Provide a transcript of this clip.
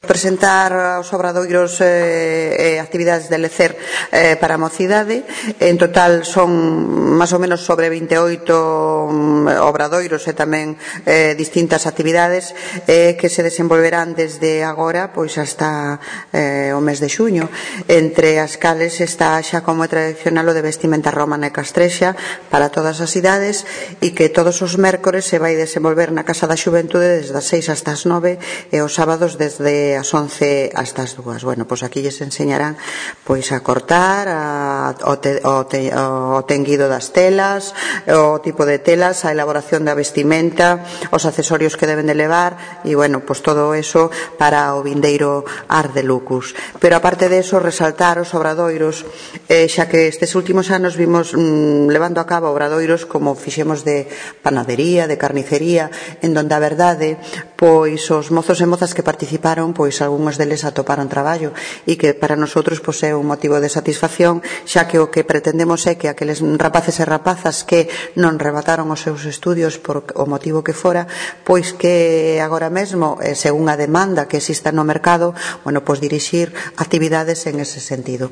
presentar aos obradoiros actividades de lecer para a mocidade. En total son máis ou menos sobre 28 obradoiros e tamén distintas actividades que se desenvolverán desde agora pois hasta o mes de xuño, entre as cales está xa como é tradicional o de vestimenta romana e castrexa para todas as idades e que todos os mércores se vai desenvolver na Casa da Xuventude desde as 6 hasta as 9 e os sábados desde as 11 hasta as 2. Bueno, pois aquí lles enseñarán pois a cortar, o tenguido das telas, o tipo de telas, a elaboración da vestimenta, os accesorios que deben de levar e, bueno, pois todo eso para o vindeiro Art de Lucus. Pero aparte de eso, resaltar os obradoiros, xa que estes últimos anos vimos levando a cabo obradoiros como fixemos de panadería, de carnicería, en donde a verdade, pois os mozos e mozas que participaron, pois algúns deles atoparon traballo e que para nosotros pois é un motivo de satisfacción, xa que o que pretendemos é que aqueles rapaces e rapazas que non remataron os seus estudios por o motivo que fora, pois que agora mesmo, según a demanda que exista no mercado, bueno, pois dirixir actividades en ese sentido.